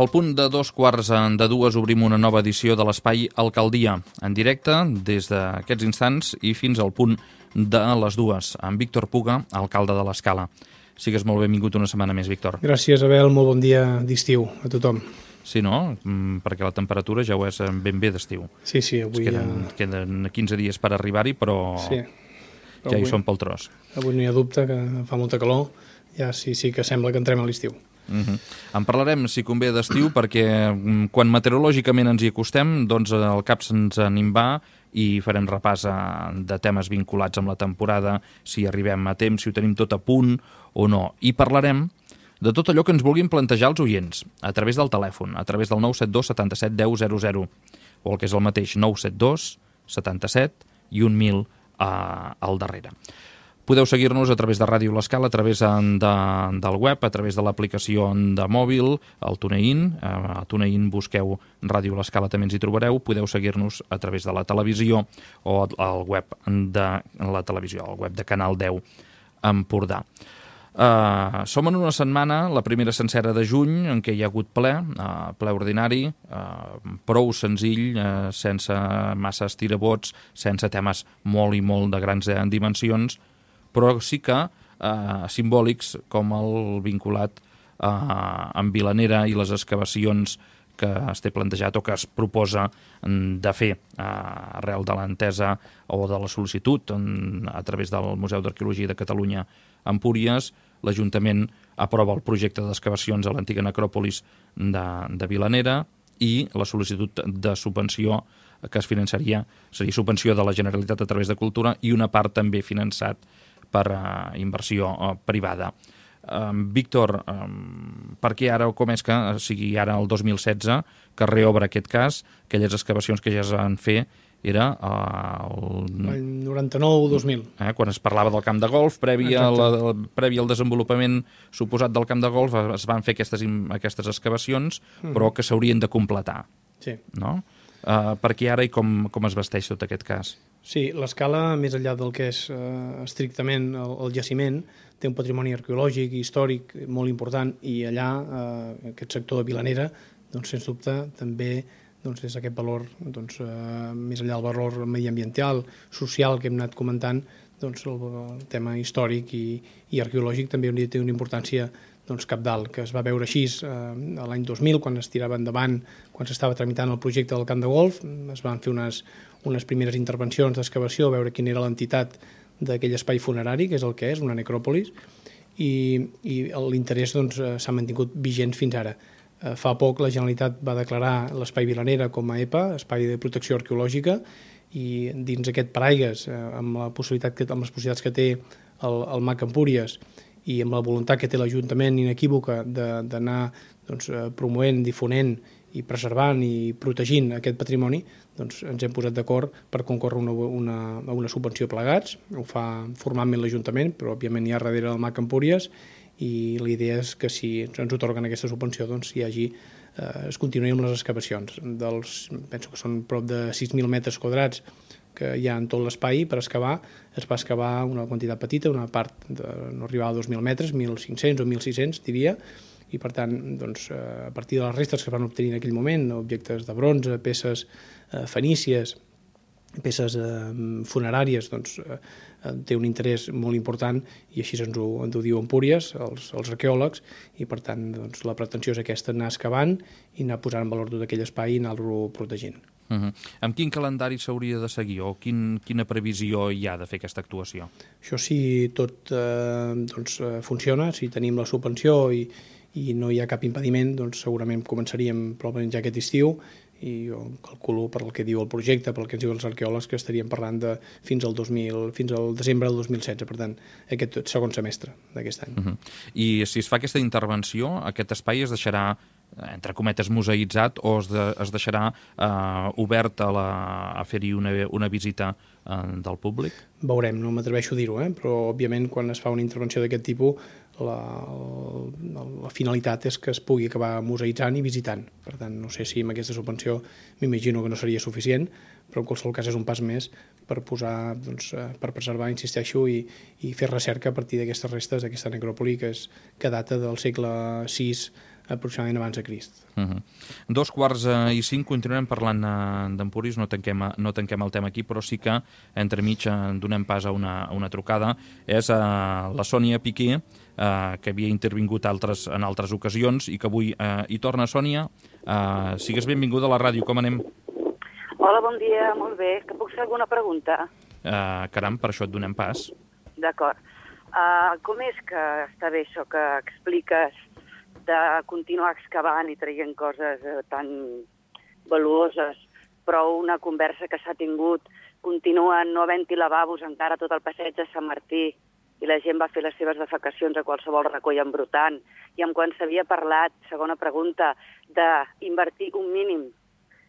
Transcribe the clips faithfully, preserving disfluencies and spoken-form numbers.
Al punt de dos quarts de dues obrim una nova edició de l'Espai Alcaldia, en directe des d'aquests instants i fins al punt de les dues, amb Víctor Puga, alcalde de l'Escala. Sigues molt benvingut una setmana més, Víctor. Gràcies, Abel. Molt bon dia d'estiu a tothom. Sí, no? Perquè la temperatura ja ho és ben bé d'estiu. Sí, sí, avui queden, ja... queden quinze dies per arribar-hi, però, sí. però ja avui, hi som pel tros. Avui no hi ha dubte que fa molta calor, ja sí, sí que sembla que entrem a l'estiu. Uh-huh. En parlarem, si convé, d'estiu, perquè quan meteorològicament ens hi acostem, doncs el cap se'ns en va i farem repàs de temes vinculats amb la temporada, si arribem a temps, si ho tenim tot a punt o no. I parlarem de tot allò que ens vulguin plantejar els oients, a través del telèfon, a través del nou set dos setanta-set deu zero zero, o el que és el mateix, nou set dos setanta-set i un mil eh, al darrere. Podeu seguir-nos a través de Ràdio L'Escala, a través de, del web, a través de l'aplicació de mòbil, el TuneIn. A TuneIn busqueu Ràdio L'Escala, també ens hi trobareu. Podeu seguir-nos a través de la televisió o al web de la televisió, al web de Canal deu Empordà. Uh, som en una setmana, la primera sencera de juny, en què hi ha hagut ple, uh, ple ordinari, uh, prou senzill, uh, sense massa estirabots, sense temes molt i molt de grans dimensions, però sí que eh, simbòlics com el vinculat eh, amb Vilanera i les excavacions que es té plantejat o que es proposa de fer eh, arrel de l'entesa o de la sol·licitud en, a través del Museu d'Arqueologia de Catalunya a Empúries. L'Ajuntament aprova el projecte d'excavacions a l'antiga necròpolis de, de Vilanera i la sol·licitud de subvenció que es finançaria seria subvenció de la Generalitat a través de Cultura i una part també finançat per uh, inversió uh, privada. Um, Víctor, um, per què ara o com és que sigui ara el dos mil setze que reobre aquest cas? Aquelles excavacions que ja es van fer era uh, el... el noranta-nou dos mil. Eh, quan es parlava del camp de golf, previ, a la, previ al desenvolupament suposat del camp de golf, es van fer aquestes, aquestes excavacions, mm. però que s'haurien de completar. Sí. No? Uh, per què ara i com, com es vesteix tot aquest cas? Sí, l'Escala, més enllà del que és eh, estrictament el, el jaciment, té un patrimoni arqueològic i històric molt important i allà, eh, aquest sector de Vilanera, doncs, sens dubte, també doncs, és aquest valor, doncs, eh, més enllà del valor mediambiental, social que hem anat comentant, doncs, el, el tema històric i, i arqueològic també té una importància doncs, cabdal, que es va veure així eh, l'any dos mil, quan es tirava endavant, quan s'estava tramitant el projecte del camp de golf, es van fer unes, unes primeres intervencions d'excavació, a veure quina era l'entitat d'aquell espai funerari, que és el que és, una necròpolis, i, i l'interès doncs, s'ha mantingut vigent fins ara. Eh, fa poc la Generalitat va declarar l'espai Vilanera com a E P A, Espai de Protecció Arqueològica, i dins aquest paraigues, eh, amb, la possibilitat que, amb les possibilitats que té el, el M A C Empúries, i amb la voluntat que té l'Ajuntament inequívoca d'anar doncs, promovent, difonent i preservant i protegint aquest patrimoni, doncs ens hem posat d'acord per concórrer una, una, una subvenció plegats. Ho fa formalment l'Ajuntament, però òbviament hi ha darrere el M A C Empúries, i la idea és que si ens otorguen aquesta subvenció doncs hi hagi, eh, es continuï amb les excavacions. Dels, penso que són prop de sis mil metres quadrats que hi ha en tot l'espai per excavar, es va excavar una quantitat petita, una part de, no arribava a dos mil metres, mil cinc-cents o mil sis-cents diria, i per tant, doncs, a partir de les restes que es van obtenir en aquell moment, objectes de bronze, peces eh, fenícies, peces eh, funeràries, doncs, eh, té un interès molt important i així ens ho, ens ho diu Empúries, els, els arqueòlegs, i per tant doncs, la pretensió és aquesta, anar excavant i anar posant en valor tot aquell espai i anar-lo protegint. Uh-huh. Amb quin calendari s'hauria de seguir o quin, quina previsió hi ha de fer aquesta actuació? Això si tot eh, doncs, funciona, si tenim la subvenció i, i no hi ha cap impediment, doncs segurament començaríem probablement ja aquest estiu i jo calculo per el que diu el projecte, pel que ens diuen els arqueòlegs, que estaríem parlant de fins al, dos mil, fins al desembre del dos mil setze, per tant, aquest segon semestre d'aquest any. Uh-huh. I si es fa aquesta intervenció, aquest espai es deixarà entre cometes, museïtzat o es, de, es deixarà eh, obert a, la, a fer-hi una, una visita eh, del públic? Veurem, no m'atreveixo a dir-ho, eh? Però òbviament quan es fa una intervenció d'aquest tipus la, la, la finalitat és que es pugui acabar museïtzant i visitant. Per tant, no sé si amb aquesta subvenció m'imagino que no seria suficient, però en qualsevol cas és un pas més per posar, doncs, per preservar, insisteixo, i, i fer recerca a partir d'aquestes restes d'aquesta necròpoli que, és, que data del segle sis aproximadament abans de Crist. Uh -huh. Dos quarts uh, i cinc continuem parlant uh, d'Empúries, no, tanquem, no tanquem el tema aquí, però sí que entremig uh, donem pas a una, a una trucada. És uh, la Sònia Piqué, uh, que havia intervingut altres, en altres ocasions i que avui uh, hi torna. Sònia, uh, sigues benvinguda a la ràdio, com anem? Hola, bon dia, molt bé. Que puc fer alguna pregunta? Uh, caram, per això et donem pas. D'acord. Uh, com és que està bé això que expliques de continuar excavant i traient coses eh, tan valuoses, però una conversa que s'ha tingut continua no havent-hi lavabos encara tot el passeig de Sant Martí i la gent va fer les seves defecacions a qualsevol racó i embrutant, i amb quan s'havia parlat, segona pregunta, d'invertir un mínim,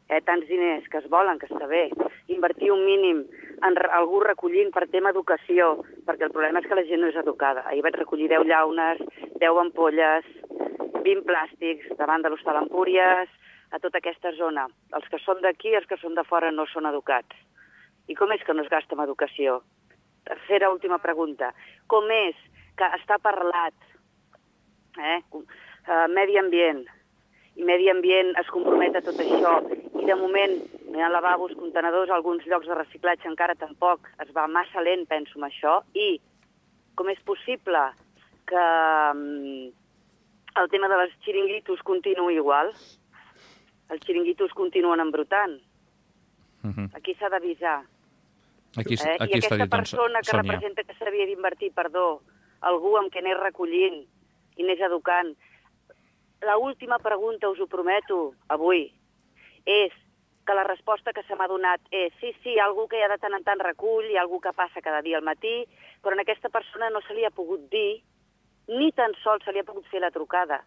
eh, tants diners que es volen, que està bé, invertir un mínim en algú recollint per tema educació, perquè el problema és que la gent no és educada. Ahir vaig recollir deu llaunes, deu ampolles, vint plàstics davant de l'Hostal Empúries, a tota aquesta zona. Els que són d'aquí i els que són de fora no són educats. I com és que no es gasta en educació? Tercera, última pregunta. Com és que està parlat eh, uh, medi ambient, i medi ambient es compromet a tot això, i de moment no hi ha lavabos, contenedors, alguns llocs de reciclatge encara tampoc, es va massa lent, penso, amb això, i com és possible que um, el tema de les xiringuitos continuï igual? Els xiringuitos continuen embrutant. Uh -huh. Aquí s'ha d'avisar. Aquí, eh? aquí I està aquesta dit, doncs, persona que Sònia. representa que s'havia d'invertir, perdó, algú amb què anés recollint i anés educant. La última pregunta, us ho prometo, avui, és que la resposta que se m'ha donat és sí, sí, hi ha algú que ja de tant en tant recull, hi ha algú que passa cada dia al matí, però a aquesta persona no se li ha pogut dir, ni tan sols se li ha pogut fer la trucada.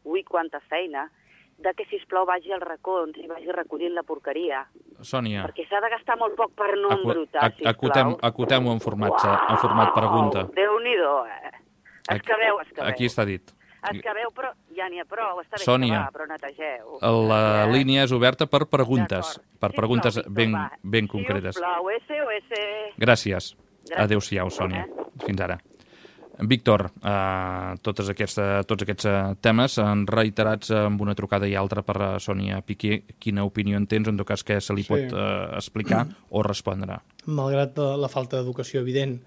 Ui, quanta feina, de que, sisplau, vagi als racons i vagi recollint la porqueria. Sònia. Perquè s'ha de gastar molt poc per no Acu embrutar, sisplau. Acotem-ho acotem en, format, en format pregunta. Déu-n'hi-do, eh? Escaveu, escaveu. Aquí està dit. Escaveu, però ja n'hi ha prou, està bé Sònia, excavar, però netegeu. la línia és oberta per preguntes, per Sí, preguntes Víctor, ben, va. ben concretes. Sisplau, S O S. Gràcies. Gràcies. Adéu-siau, Sònia. Fins ara. Víctor, eh, tots aquests, tots aquests eh, temes han reiterats amb una trucada i altra per a Sònia Piqué. Quina opinió en tens? En tot cas, què se li Sí. pot eh, explicar o respondre? Malgrat la, la falta d'educació evident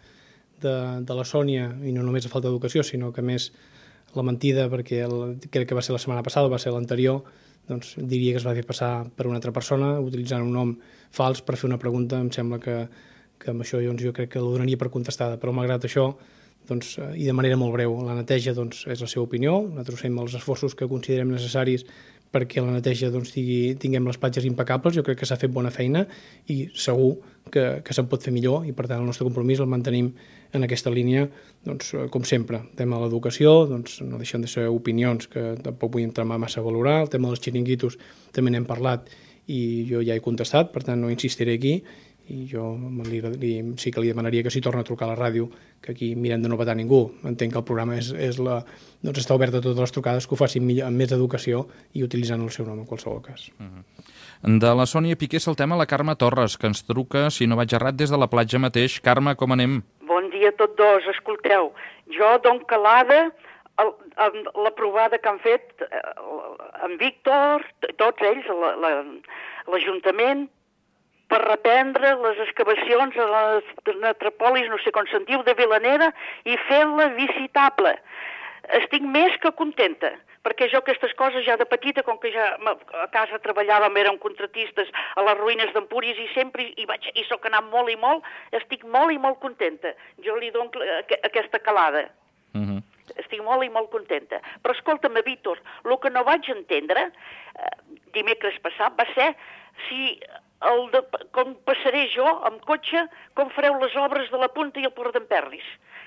de, de la Sònia, i no només la falta d'educació, sinó que més la mentida, perquè el, crec que va ser la setmana passada, va ser l'anterior, doncs diria que es va fer passar per una altra persona, utilitzant un nom fals per fer una pregunta. Em sembla que, que amb això doncs, jo crec que la donaria per contestada, però malgrat això, doncs, i de manera molt breu, la neteja doncs, és la seva opinió, nosaltres fem els esforços que considerem necessaris perquè la neteja doncs, tingui, tinguem les platges impecables. Jo crec que s'ha fet bona feina i segur que, que se'n pot fer millor, i per tant el nostre compromís el mantenim en aquesta línia, doncs, com sempre. El tema de l'educació, doncs, no deixen de ser opinions que tampoc vull entrar massa a valorar. El tema dels xiringuitos també n'hem parlat i jo ja he contestat, per tant no insistiré aquí, i jo li, li, sí que li demanaria que si torna a trucar a la ràdio, que aquí mirem de no petar ningú. Entenc que el programa és, és la, doncs està obert a totes les trucades, que ho facin millor, amb més educació i utilitzant el seu nom en qualsevol cas. Uh-huh. De la Sònia Piqué saltem a la Carme Torres, que ens truca, si no vaig errat, des de la platja mateix. Carme, com anem? Bon dia a tots dos. Escolteu, jo dono calada el, el, la provada que han fet eh, en Víctor, tots ells, l'Ajuntament, per reprendre les excavacions a les metropolis, no sé com se'n diu, de Vilanera, i fer-la visitable. Estic més que contenta, perquè jo aquestes coses ja de petita, com que ja a casa treballàvem, érem contratistes a les ruïnes d'Empúries i sempre hi, vaig, hi soc anat molt i molt, estic molt i molt contenta. Jo li dono aquesta calada. Uh-huh. Estic molt i molt contenta. Però escolta'm, Víctor, el que no vaig entendre eh, dimecres passat va ser si el de, com passaré jo amb cotxe, com fareu les obres de la Punta i el Port d'Emperris,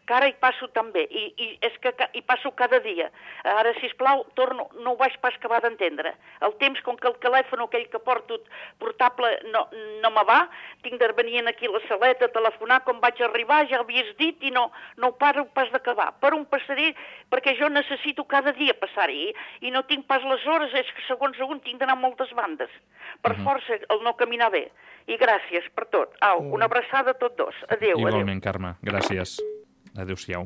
que ara hi passo també, i, i és que hi passo cada dia. Ara, sisplau, torno, no ho vaig pas acabar d'entendre. El temps, com que el telèfon aquell que porto portable no, no me va, tinc de venir aquí a la saleta a telefonar, com vaig arribar, ja ho havies dit, i no, no ho paro pas d'acabar. Per on passaré, perquè jo necessito cada dia passar-hi, i no tinc pas les hores, és que segons segon tinc d'anar a moltes bandes. Per uh-huh. força, el no caminar bé. I gràcies per tot. Au, una abraçada a tots dos. Adéu. Igualment, adéu. Carme. Gràcies. Adéu-siau.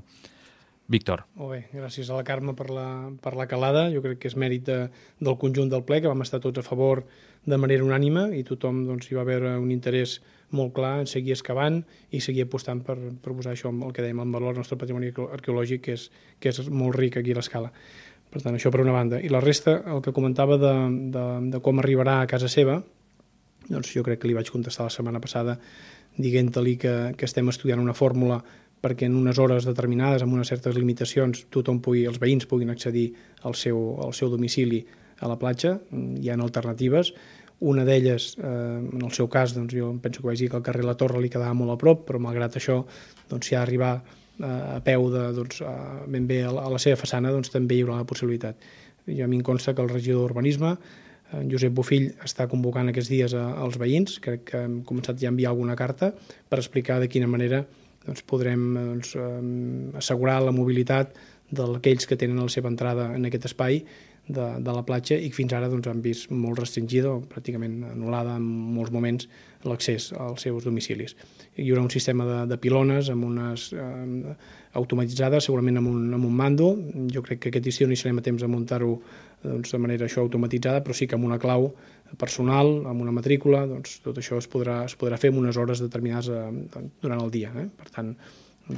Víctor. Molt bé, gràcies a la Carme per la, per la calada. Jo crec que és mèrit de, del conjunt del ple, que vam estar tots a favor de manera unànime i tothom doncs, hi va haver un interès molt clar en seguir excavant i seguir apostant per, per posar això, el que dèiem, en valor el nostre patrimoni arqueològic, que és, que és molt ric aquí a l'Escala. Per tant, això per una banda. I la resta, el que comentava de, de, de com arribarà a casa seva, doncs jo crec que li vaig contestar la setmana passada dient-li que, que estem estudiant una fórmula perquè en unes hores determinades, amb unes certes limitacions, tothom pugui, els veïns puguin accedir al seu, al seu domicili a la platja. Hi ha alternatives. Una d'elles, eh, en el seu cas, doncs jo penso que vaig dir que el carrer La Torre li quedava molt a prop, però malgrat això, doncs, si ha d'arribar eh, a peu de, doncs, a, ben bé a la, a la seva façana, doncs també hi haurà la possibilitat. I a mi em consta que el regidor d'Urbanisme, en Josep Bofill, està convocant aquests dies a, als veïns. Crec que hem començat ja a enviar alguna carta per explicar de quina manera doncs, podrem doncs, assegurar la mobilitat d'aquells que tenen la seva entrada en aquest espai de, de la platja i que fins ara doncs, han vist molt restringida o pràcticament anul·lada en molts moments l'accés als seus domicilis. Hi haurà un sistema de, de pilones amb unes eh, automatitzades, segurament amb un, amb un mando. Jo crec que aquest estiu no hi serem a temps de muntar-ho doncs, de manera això automatitzada, però sí que amb una clau personal, amb una matrícula, doncs, tot això es podrà, es podrà fer en unes hores determinades eh, durant el dia. Eh? Per tant,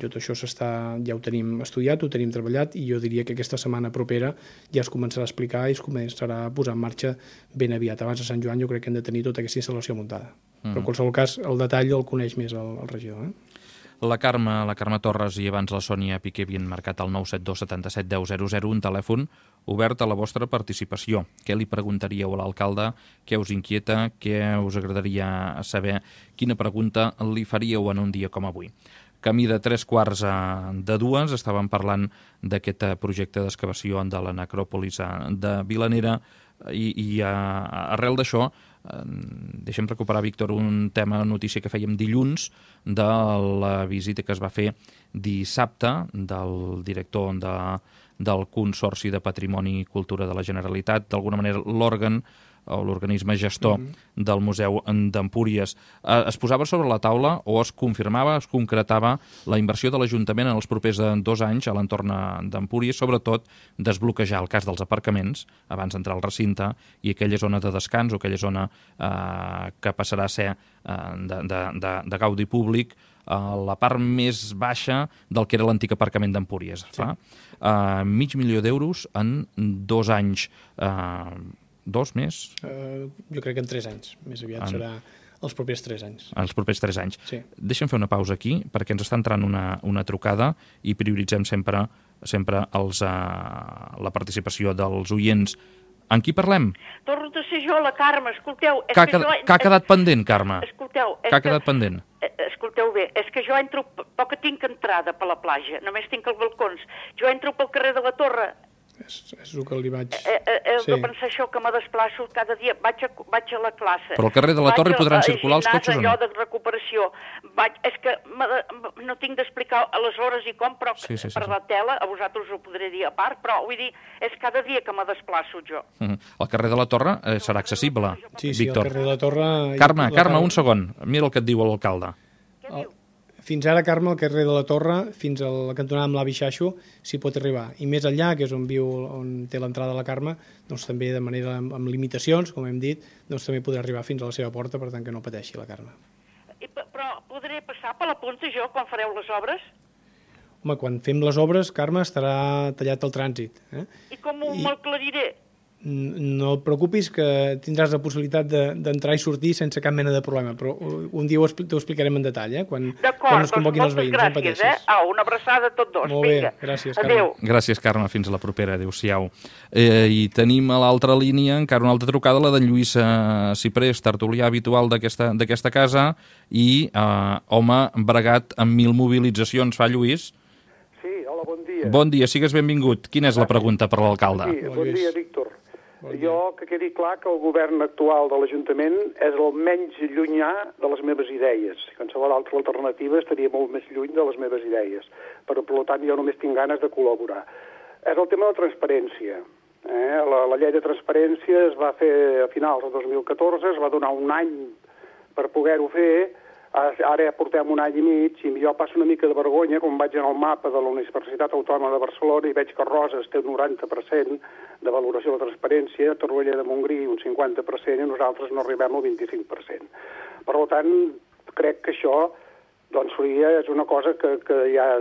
tot això s'està, ja ho tenim estudiat, ho tenim treballat i jo diria que aquesta setmana propera ja es començarà a explicar i es començarà a posar en marxa ben aviat. Abans de Sant Joan jo crec que hem de tenir tota aquesta instal·lació muntada. Mm. Però en qualsevol cas el detall el coneix més el, el regidor. Eh? La Carme, la Carme Torres i abans la Sònia Piqué havien marcat el nou set dos setanta set deu zero zero, un telèfon obert a la vostra participació. Què li preguntaríeu a l'alcalde? Què us inquieta? Què us agradaria saber? Quina pregunta li faríeu en un dia com avui? Camí de tres quarts de dues, estàvem parlant d'aquest projecte d'excavació de la necròpolis de Vilanera i, i arrel d'això deixem recuperar, Víctor, un tema, notícia que fèiem dilluns de la visita que es va fer dissabte del director de, del Consorci de Patrimoni i Cultura de la Generalitat, d'alguna manera l'òrgan o l'organisme gestor mm-hmm. del Museu d'Empúries. Eh, es posava sobre la taula o es confirmava, es concretava la inversió de l'Ajuntament en els propers dos anys a l'entorn d'Empúries, sobretot desbloquejar el cas dels aparcaments abans d'entrar al recinte i aquella zona de descans o aquella zona eh, que passarà a ser eh, de, de, de, de gaudi públic a la part més baixa del que era l'antic aparcament d'Empúries. Sí. Fa eh, mig milió d'euros en dos anys. Eh, Dos més? Uh, jo crec que en tres anys. Més aviat en... serà els propers tres anys. Els propers tres anys. Sí. Deixa'm fer una pausa aquí, perquè ens està entrant una, una trucada i prioritzem sempre, sempre els, uh, la participació dels oients. En qui parlem? Torno a ser jo, la Carme, escolteu... Que ha, que jo... que ha quedat pendent, Carme? Escolteu... Que ha quedat que... pendent? Escolteu bé, és que jo entro... Poc que tinc entrada per la platja, només tinc els balcons. Jo entro pel carrer de la Torre... És, és el que li vaig... Eh, eh, he sí. de pensar això, que me desplaço cada dia. Vaig a, vaig a la classe. Però al carrer de la Torre hi podran circular els cotxes o no? Allò de recuperació. Vaig, és que no tinc d'explicar a les hores i com, però sí, sí, sí, per sí. la tela, a vosaltres ho podré dir a part, però vull dir, és cada dia que me desplaço jo. Uh -huh. El carrer de la Torre eh, serà accessible, sí, sí, Víctor. El carrer de la Torre... Carme, Carme, un segon. Mira el que et diu l'alcalde. Què diu? Fins ara, Carme, al carrer de la Torre, fins a la cantonada amb l'Avi Xaixo, s'hi pot arribar. I més enllà, que és on viu, on té l'entrada la Carme, doncs també de manera amb, amb limitacions, com hem dit, doncs també podrà arribar fins a la seva porta, per tant que no pateixi la Carme. I, però podré passar per la punta jo quan fareu les obres? Home, quan fem les obres, Carme, estarà tallat el trànsit. Eh? I com I... m'aclariré? No et preocupis, que tindràs la possibilitat d'entrar de, i sortir sense cap mena de problema, però un dia ho explicarem en detall, eh? quan, quan es convoquin els veïns. D'acord, doncs moltes gràcies, eh? Au, una abraçada a tots dos. Molt Vinga. bé, gràcies, Carme. Adéu. Gràcies, Carme, fins a la propera, adéu-siau. Eh, I tenim a l'altra línia encara una altra trucada, la de Lluís eh, Ciprés, tertulià habitual d'aquesta casa i eh, home bregat amb mil mobilitzacions. Fa, Lluís? Sí, hola, bon dia. Bon dia, sigues benvingut. Quina és la pregunta per l'alcalde? Sí, bon dia, Víctor. Jo, que quedi clar que el govern actual de l'Ajuntament és el menys llunyà de les meves idees. Qualsevol altra alternativa estaria molt més lluny de les meves idees. Però, per tant, jo només tinc ganes de col·laborar. És el tema de la transparència. Eh? La, la llei de transparència es va fer a finals del dos mil catorze, es va donar un any per poder-ho fer. Ara portem un any i mig i jo passo una mica de vergonya quan vaig en el mapa de la Universitat Autònoma de Barcelona i veig que Roses té un noranta per cent de valoració de transparència, Torroella de Montgrí un cinquanta per cent i nosaltres no arribem al vint-i-cinc per cent. Per tant, crec que això doncs, seria, és una cosa que, que, ja,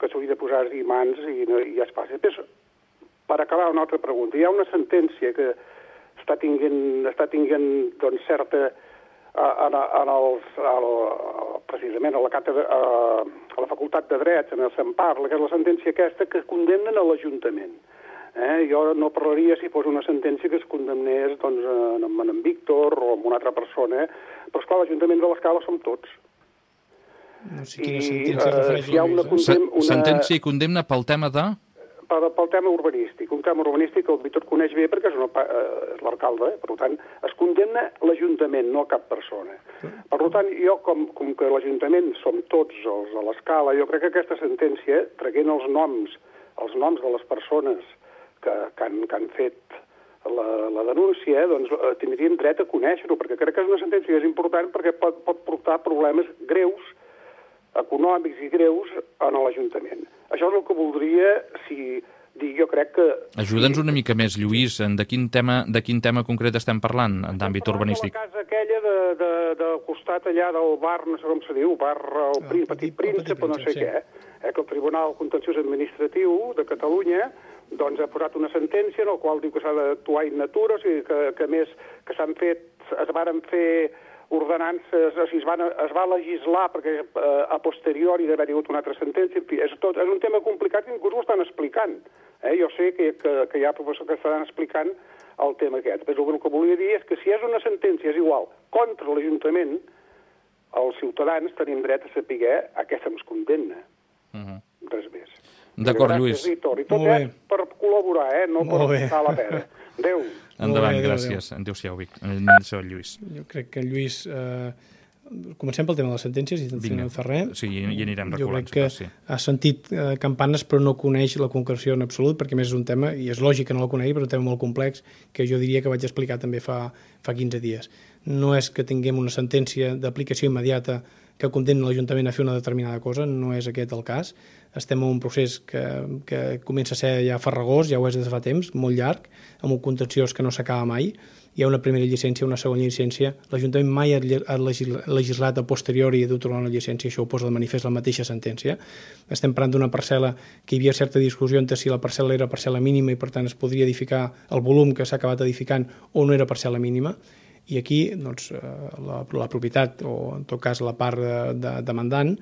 que s'hauria de posar-hi mans i, i ja es faci. Després, per acabar, una altra pregunta. Hi ha una sentència que està tinguent, està tinguent doncs, certa... En, en els, el, precisament a la, càtedra, a la Facultat de Drets, en el se'n parla, que és la sentència aquesta que condemnen a l'Ajuntament. Eh? Jo no parlaria si fos una sentència que es condemnés doncs, en, en Víctor o en una altra persona, però esclar, l'Ajuntament de l'Escala som tots. No sé quina sentència uh, refereix si hi ha una, condem, una... Sentència i condemna pel tema de... Pel, pel tema urbanístic, un tema urbanístic que el Víctor coneix bé perquè és, una, eh, és l'alcalde, eh? Per tant, es condemna l'Ajuntament, no cap persona. Per tant, jo, com, com que l'Ajuntament som tots els a l'Escala, jo crec que aquesta sentència, traient els noms, els noms de les persones que, que, han, que han fet la, la denúncia, doncs tindrien dret a conèixer-ho, perquè crec que és una sentència que és important perquè pot, pot portar problemes greus econòmics i greus en l'Ajuntament. Això és el que voldria, si dir, jo crec que... Ajuda'ns una mica més, Lluís, de quin tema, de quin tema concret estem parlant d'àmbit urbanístic? La casa aquella de, de, del costat allà del bar, no sé com se diu, bar el Petit, Petit Príncep o no sé sí. què, eh, que el Tribunal Contenciós Administratiu de Catalunya doncs, ha posat una sentència en la qual diu que s'ha d'actuar in natura, o sigui que, que més que s'han fet, es varen fer ordenances, o sigui, es, van, es va legislar perquè eh, a posteriori d'haver-hi hagut una altra sentència, en fi, és, tot, és un tema complicat i inclús ho estan explicant. Eh? Jo sé que, que, que hi ha professors que estan explicant el tema aquest. Però el que volia dir és que si és una sentència, és igual, contra l'Ajuntament, els ciutadans tenim dret a saber a què se'ns condemna. Uh -huh. Res més. D'acord, Lluís. Víctor. I tot és per col·laborar, eh? No per passar la pera. Adéu. Endavant, bé, gràcies. Adéu-siau, Vic. Adéu-siau, Lluís. Jo crec que Lluís... Eh, comencem pel tema de les sentències i si no fa res. Sí, i anirem reculant. Jo crec que sí. Ha sentit eh, campanes però no coneix la concreció en absolut, perquè més és un tema, i és lògic que no la conegui, però és un tema molt complex que jo diria que vaig explicar també fa, fa quinze dies. No és que tinguem una sentència d'aplicació immediata que condemna l'Ajuntament a fer una determinada cosa, no és aquest el cas. Estem en un procés que, que comença a ser ja farragós, ja ho és des de fa temps, molt llarg, amb un contenciós que no s'acaba mai. Hi ha una primera llicència, una segona llicència. L'Ajuntament mai ha legislat a posteriori d'otorgar una llicència, això ho posa de manifest la mateixa sentència. Estem parlant d'una parcel·la que hi havia certa discussió entre si la parcel·la era parcel·la mínima i per tant es podria edificar el volum que s'ha acabat edificant o no era parcel·la mínima. I aquí doncs, la, la propietat, o en tot cas la part de, de, demandant,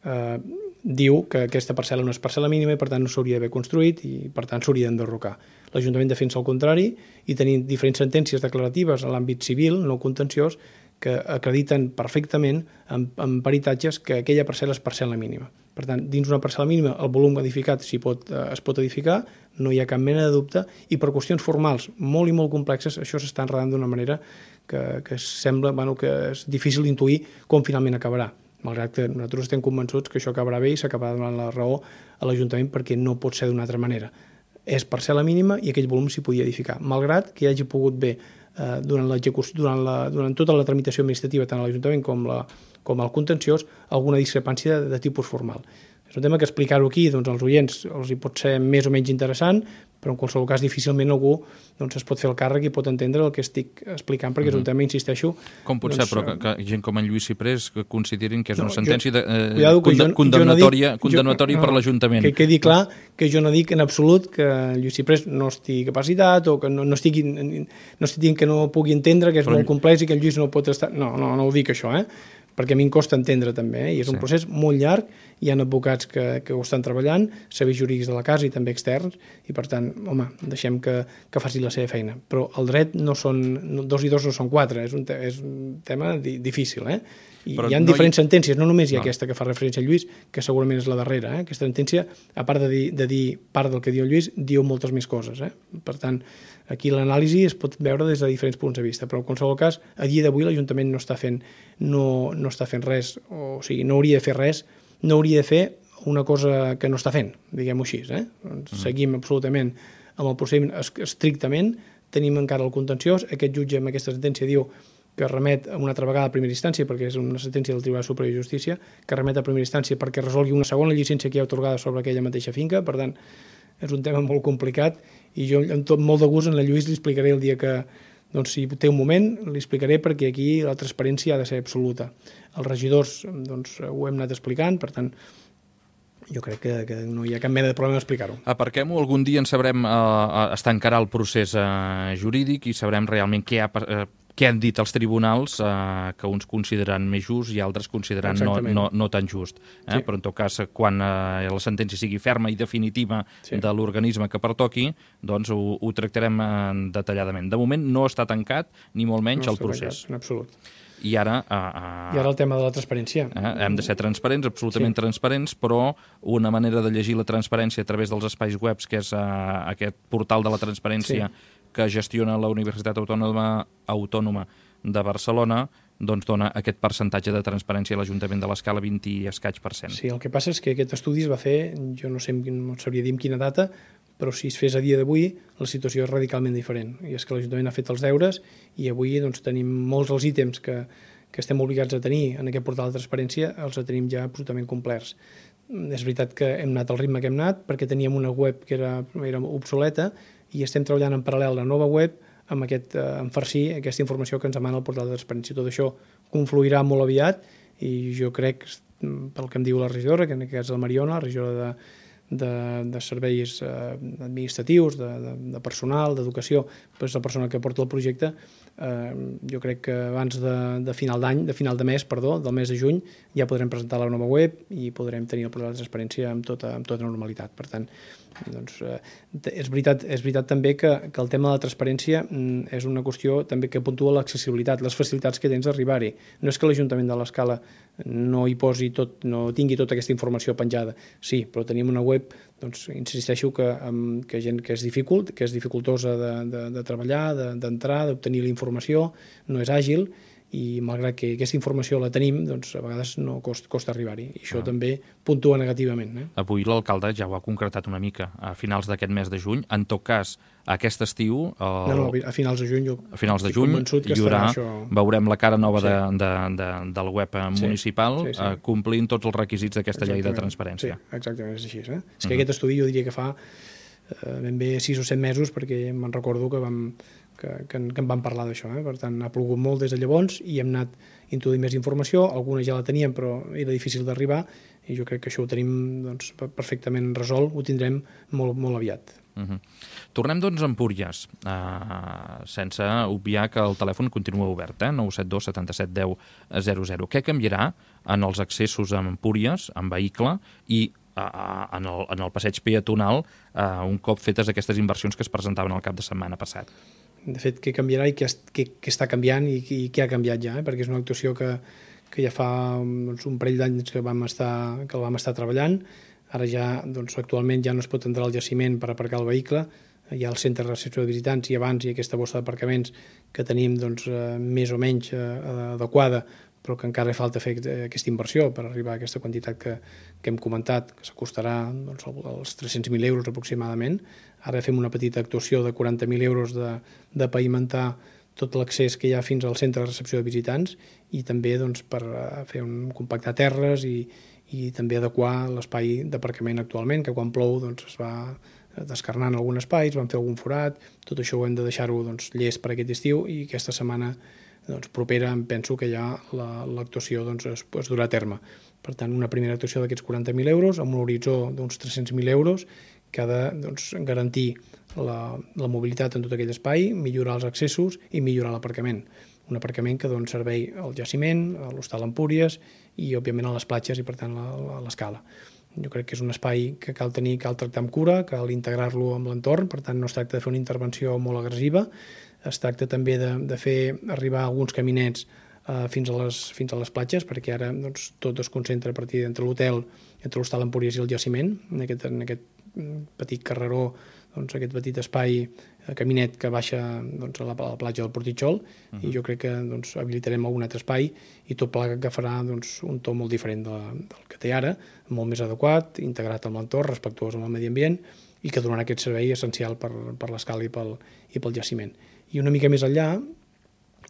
eh, diu que aquesta parcel·la no és parcel·la mínima i per tant no s'hauria d'haver construït i per tant s'hauria d'enderrocar. L'Ajuntament defensa el contrari i tenim diferents sentències declaratives en l'àmbit civil, no contenciós, que acrediten perfectament en, en peritatges que aquella parcel·la és parcel·la mínima. Per tant, dins una parcel·la mínima el volum edificat s'hi pot, eh, es pot edificar, no hi ha cap mena de dubte, i per qüestions formals molt i molt complexes això s'està enredant d'una manera que, que sembla bueno, que és difícil d'intuir com finalment acabarà. Malgrat que nosaltres estem convençuts que això acabarà bé i s'acabarà donant la raó a l'Ajuntament perquè no pot ser d'una altra manera. És parcel·la mínima i aquell volum s'hi podia edificar, malgrat que hi hagi pogut bé eh, durant, durant, la, durant tota la tramitació administrativa, tant a l'Ajuntament com, la, com al contenciós, alguna discrepància de, de tipus formal. És un tema que explicar-ho aquí doncs, als oients els hi pot ser més o menys interessant, però en qualsevol cas difícilment algú doncs, es pot fer el càrrec i pot entendre el que estic explicant, perquè és un tema, insisteixo... Com pot doncs, ser, però, que, que gent com en Lluís Ciprés que considerin que és no, una sentència jo, de, eh, cuidado, conde, jo, condemnatòria, jo no dic, condemnatòria jo, per no, l'Ajuntament. Que quedi clar que jo no dic en absolut que Lluís Ciprés no estigui capacitat o que no, no estigui no estigui dient que no pugui entendre, que és però... molt complex i que el Lluís no pot estar... No, no, no ho dic això, eh? Perquè a mi em costa entendre també, eh? I és sí. un procés molt llarg, hi ha advocats que, que ho estan treballant, serveis jurídics de la casa i també externs, i per tant, home, deixem que, que faci la seva feina. Però el dret no són, no, dos i dos no són quatre, és un, te, és un tema di, difícil, eh? I Però hi ha no diferents hi... sentències, no només hi ha no. aquesta que fa referència a Lluís, que segurament és la darrera, eh? Aquesta sentència, a part de dir, de dir part del que diu el Lluís, diu moltes més coses, eh? Per tant, aquí l'anàlisi es pot veure des de diferents punts de vista, però en qualsevol cas, a dia d'avui l'Ajuntament no està fent no, no està fent res, o, o sigui, no hauria de fer res, no hauria de fer una cosa que no està fent, diguem-ho així, eh? Doncs mm. seguim absolutament amb el procediment estrictament, tenim encara el contenciós, aquest jutge amb aquesta sentència diu que remet a una altra vegada a primera instància, perquè és una sentència del Tribunal Superior de Justícia, que remet a primera instància perquè resolgui una segona llicència que hi ha atorgada sobre aquella mateixa finca. Per tant, és un tema molt complicat i jo amb tot molt de gust en la Lluís li explicaré el dia que, doncs, si té un moment, li explicaré, perquè aquí la transparència ha de ser absoluta. Els regidors, doncs, ho hem anat explicant, per tant, jo crec que, que no hi ha cap mena de problema d'explicar-ho. Aparquem-ho, algun dia en sabrem, eh, es tancarà el procés eh, jurídic i sabrem realment què ha, eh, què han dit els tribunals, eh, que uns consideren més just i altres consideren no, no, no tan just. Eh? Sí. Però en tot cas, quan eh, la sentència sigui ferma i definitiva sí. de l'organisme que pertoqui, doncs ho, ho tractarem eh, detalladament. De moment no està tancat, ni molt menys no el procés. Tancat, en absolut. I ara... Uh, uh, I ara el tema de la transparència. Uh, hem de ser transparents, absolutament sí. transparents, però una manera de llegir la transparència a través dels espais webs, que és uh, aquest portal de la transparència sí. que gestiona la Universitat Autònoma, Autònoma de Barcelona, doncs dona aquest percentatge de transparència a l'Ajuntament de l'Escala, vint i escaig per cent. Sí, el que passa és que aquest estudi es va fer, jo no sé, no sabria dir en quina data, però si es fes a dia d'avui, la situació és radicalment diferent. I és que l'Ajuntament ha fet els deures i avui doncs, tenim molts dels ítems que, que estem obligats a tenir en aquest portal de transparència, els tenim ja absolutament complerts. És veritat que hem anat al ritme que hem anat, perquè teníem una web que era, era obsoleta i estem treballant en paral·lel la nova web amb aquest, eh, en farcir aquesta informació que ens demana el portal de transparència. Tot això confluirà molt aviat i jo crec, pel que em diu la regidora, que en aquest cas la Mariona, la regidora de De, de serveis eh, administratius, de, de, de personal, d'educació, és la persona que porta el projecte, eh, jo crec que abans de, de final d'any, de final de mes, perdó, del mes de juny, ja podrem presentar la nova web i podrem tenir el portal de transparència amb tota, amb tota normalitat. Per tant, doncs, eh, és veritat, és veritat també que, que el tema de la transparència mm, és una qüestió també que puntua l'accessibilitat, les facilitats que tens d'arribar-hi. No és que l'Ajuntament de l'Escala no hi posi tot, no tingui tota aquesta informació penjada. Sí, però tenim una web, doncs insisteixo que, um, que gent que és dificult, que és dificultosa de, de, de treballar, d'entrar, de, d'obtenir la informació, no és àgil, i malgrat que aquesta informació la tenim, doncs a vegades no costa, costa arribar-hi. I això ah. també puntua negativament. Eh? Avui l'alcalde ja ho ha concretat una mica a finals d'aquest mes de juny. En tot cas, aquest estiu... El... No, no, a finals de juny jo a finals de juny hi haurà, això... veurem la cara nova sí. de, de, de, del web sí. municipal sí, sí. complint tots els requisits d'aquesta llei de transparència. Sí, exactament, és així. Eh? És que mm. aquest estudi jo diria que fa eh, ben bé sis o set mesos, perquè me'n recordo que vam... Que, que, que en vam parlar d'això. Eh? Per tant, ha plogut molt des de llavors i hem anat introduint més informació, alguna ja la teníem però era difícil d'arribar i jo crec que això ho tenim doncs, perfectament resolt, ho tindrem molt, molt aviat. Uh-huh. Tornem doncs a Empúries, uh, sense obviar que el telèfon continua obert, eh? nou set dos setanta set deu zero zero. Què canviarà en els accessos a Empúries, en vehicle, i uh, en, el, en el passeig peatonal uh, un cop fetes aquestes inversions que es presentaven el cap de setmana passat? De fet, què canviarà i què, què, què està canviant i, i què ha canviat ja, eh? Perquè és una actuació que, que ja fa doncs, un parell d'anys que, vam estar, que el vam estar treballant. Ara ja, doncs, actualment ja no es pot entrar al jaciment per aparcar el vehicle, hi ha el centre de recepció de visitants i abans hi ha aquesta bossa d'aparcaments que tenim doncs, eh, més o menys eh, adequada, però que encara falta fer aquesta inversió per arribar a aquesta quantitat que, que hem comentat, que s'acostarà doncs, als tres-cents mil euros aproximadament. Ara fem una petita actuació de quaranta mil euros de, de pavimentar tot l'accés que hi ha fins al centre de recepció de visitants i també doncs, per fer un compactar terres i, i també adequar l'espai d'aparcament actualment, que quan plou doncs, es va descarnant algun espai, es van fer algun forat, tot això ho hem de deixar-ho doncs, llest per aquest estiu i aquesta setmana doncs, propera em penso que ja l'actuació doncs, es, es durà a terme. Per tant, una primera actuació d'aquests quaranta mil euros amb un horitzó d'uns tres-cents mil euros que ha de doncs, garantir la, la mobilitat en tot aquell espai, millorar els accessos i millorar l'aparcament. Un aparcament que dona servei al jaciment, a l'Hostal Empúries i, òbviament, a les platges i, per tant, a l'Escala. Jo crec que és un espai que cal tenir, cal tractar amb cura, cal integrar-lo amb l'entorn, per tant, no es tracta de fer una intervenció molt agressiva, es tracta també de, de fer arribar alguns caminets eh, fins, a les, fins a les platges, perquè ara doncs, tot es concentra a partir d'entre l'hotel, entre l'Hostal Empúries i el jaciment, en aquest, en aquest petit carreró, doncs, aquest petit espai, eh, caminet que baixa doncs, a, la, a la platja del Portitxol, uh-huh. i jo crec que doncs, habilitarem algun altre espai i tot plegat que farà doncs, un to molt diferent de, del que té ara, molt més adequat, integrat amb l'entorn, respectuós amb el medi ambient i que donarà aquest servei essencial per, per l'Escala i pel, i pel jaciment. I una mica més enllà,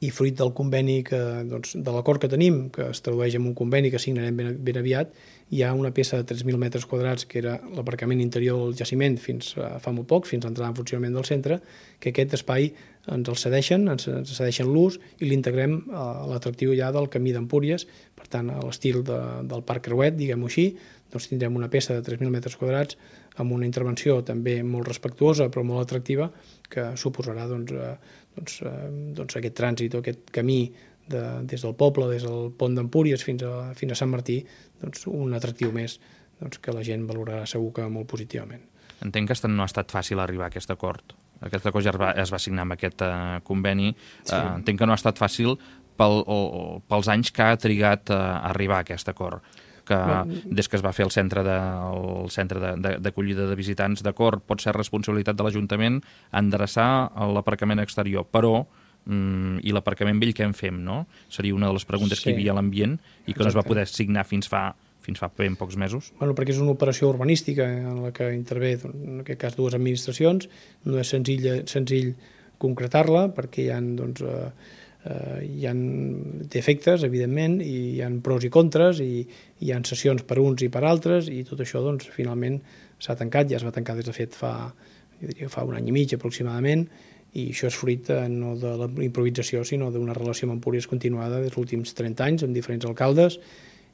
i fruit del conveni, que, doncs, de l'acord que tenim, que es tradueix en un conveni que signarem ben, ben aviat, hi ha una peça de tres mil metres quadrats, que era l'aparcament interior del jaciment fins a fa molt poc, fins a l'entrada en funcionament del centre, que aquest espai ens el cedeixen, ens cedeixen l'ús i l'integrem a l'atractiu ja del camí d'Empúries. Per tant, a l'estil de, del Parc Creuet, diguem-ho així, doncs tindrem una peça de tres mil metres quadrats amb una intervenció també molt respectuosa però molt atractiva, que suposarà doncs, eh, doncs, eh, doncs aquest trànsit o aquest camí de, des del poble, des del pont d'Empúries fins a, fins a Sant Martí, doncs, un atractiu més doncs, que la gent valorarà segur que molt positivament. Entenc que no ha estat fàcil arribar a aquest acord. Aquest acord ja es va, es va signar amb aquest uh, conveni. Sí. Uh, entenc que no ha estat fàcil pel, o, o, pels anys que ha trigat uh, a arribar a aquest acord, que des que es va fer el centre de, el centre d'acollida de, de visitants, d'acord, pot ser responsabilitat de l'Ajuntament endreçar l'aparcament exterior, però mm, i l'aparcament vell què en fem, no? Seria una de les preguntes sí. que hi havia a l'ambient i que Exacte. no es va poder signar fins fa fins fa ben pocs mesos. Bueno, perquè és una operació urbanística en la que intervé, en aquest cas, dues administracions. No és senzill, senzill concretar-la perquè hi ha, doncs, eh, eh, hi ha defectes, evidentment, i hi ha pros i contres, i hi ha sessions per uns i per altres, i tot això, doncs, finalment s'ha tancat, ja es va tancar des de fet fa, jo diria, fa un any i mig aproximadament, i això és fruit eh, no de la improvisació, sinó d'una relació amb Empúries continuada dels últims trenta anys, amb diferents alcaldes,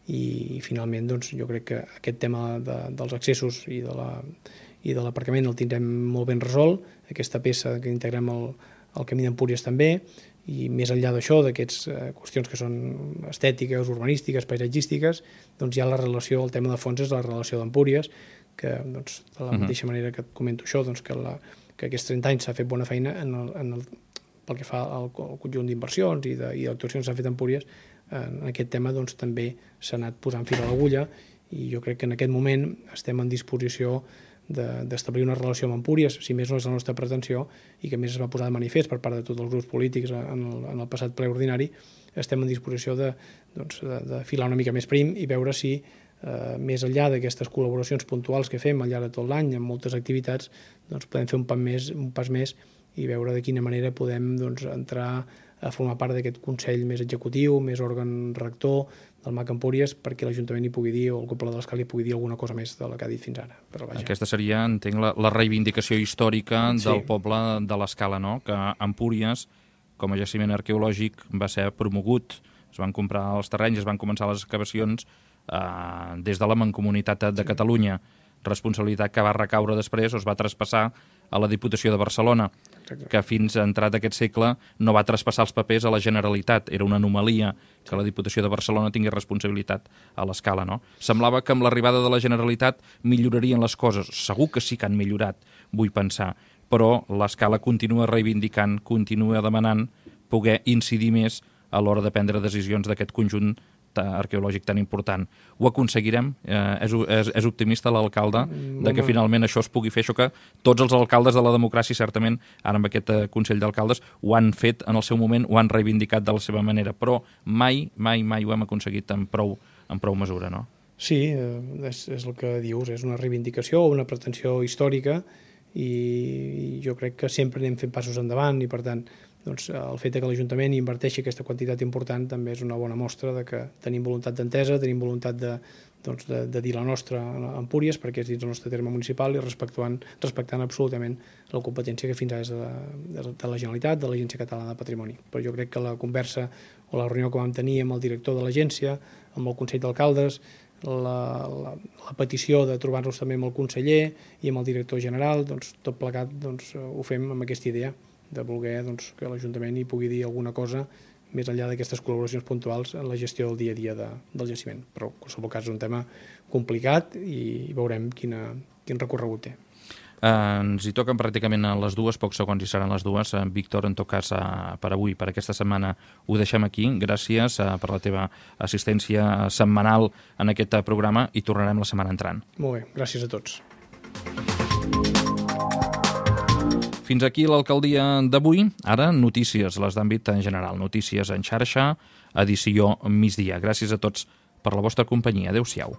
i finalment doncs, jo crec que aquest tema de, dels accessos i de la, i de l'aparcament el tindrem molt ben resolt, aquesta peça que integrem al, al camí d'Empúries també, i més enllà d'això, d'aquestes eh, qüestions que són estètiques, urbanístiques, paisatgístiques, doncs hi ha la relació, el tema de fons és la relació d'Empúries, que doncs, de la mateixa uh-huh. manera que et comento això, doncs, que, la, que aquests trenta anys s'ha fet bona feina en el, en el, pel que fa al, al conjunt d'inversions i d'actuacions que s'han fet a Empúries. En aquest tema doncs, també s'ha anat posant fil a l'agulla i jo crec que en aquest moment estem en disposició d'establir una relació amb Empúries, si més no és la nostra pretensió, i que més es va posar de manifest per part de tots els grups polítics en el, en el passat ple ordinari. Estem en disposició de, doncs, de, de filar una mica més prim i veure si, eh, més enllà d'aquestes col·laboracions puntuals que fem al llarg de tot l'any, amb moltes activitats, doncs, podem fer un pas més, un pas més i veure de quina manera podem doncs, entrar a formar part d'aquest Consell més executiu, més òrgan rector del M A C Empúries, perquè l'Ajuntament hi pugui dir, o el Cúpula de l'Escala hi pugui dir alguna cosa més de la que ha dit fins ara. Però vaja. Aquesta seria, entenc, la, la reivindicació històrica sí. del poble de l'Escala, no? Que Empúries, com a jaciment arqueològic, va ser promogut, es van comprar els terrenys, es van començar les excavacions eh, des de la Mancomunitat de sí. Catalunya, responsabilitat que va recaure després o es va traspassar a la Diputació de Barcelona, que fins a entrat aquest segle no va traspassar els papers a la Generalitat. Era una anomalia que la Diputació de Barcelona tingués responsabilitat a l'Escala, no? Semblava que amb l'arribada de la Generalitat millorarien les coses. Segur que sí que han millorat, vull pensar, però l'Escala continua reivindicant, continua demanant poder incidir més a l'hora de prendre decisions d'aquest conjunt arqueològic tan important. Ho aconseguirem? Eh, és, és, és optimista l'alcalde de que finalment això es pugui fer, això que tots els alcaldes de la democràcia, certament, ara amb aquest eh, Consell d'Alcaldes, ho han fet en el seu moment, ho han reivindicat de la seva manera, però mai, mai, mai ho hem aconseguit en prou, en prou mesura, no? Sí, eh, és, és el que dius, és una reivindicació, una pretensió històrica, i jo crec que sempre anem fent passos endavant i, per tant, doncs, el fet que l'Ajuntament inverteixi aquesta quantitat important també és una bona mostra de que tenim voluntat d'entesa, tenim voluntat de, doncs, de, de dir la nostra a Empúries, perquè és dins el nostre terme municipal i respectant, respectant absolutament la competència que fins ara és de la, de la Generalitat, de l'Agència Catalana de Patrimoni. Però jo crec que la conversa o la reunió que vam tenir amb el director de l'agència, amb el Consell d'Alcaldes, la, la, la petició de trobar-nos també amb el conseller i amb el director general, doncs, tot plegat doncs, ho fem amb aquesta idea de voler doncs, que l'Ajuntament hi pugui dir alguna cosa més enllà d'aquestes col·laboracions puntuals en la gestió del dia a dia de, del jaciment. Però en qualsevol cas és un tema complicat i veurem quina, quin recorregut té. Eh, ens hi toquen pràcticament a les dues, pocs segons hi seran les dues. Eh, Víctor, en tot cas, eh, per avui, per aquesta setmana, ho deixem aquí. Gràcies eh, per la teva assistència setmanal en aquest programa i tornarem la setmana entrant. Molt bé, gràcies a tots. Fins aquí l'alcaldia d'avui. Ara, notícies, les d'àmbit en general. Notícies en xarxa, edició migdia. Gràcies a tots per la vostra companyia. Adéu-siau.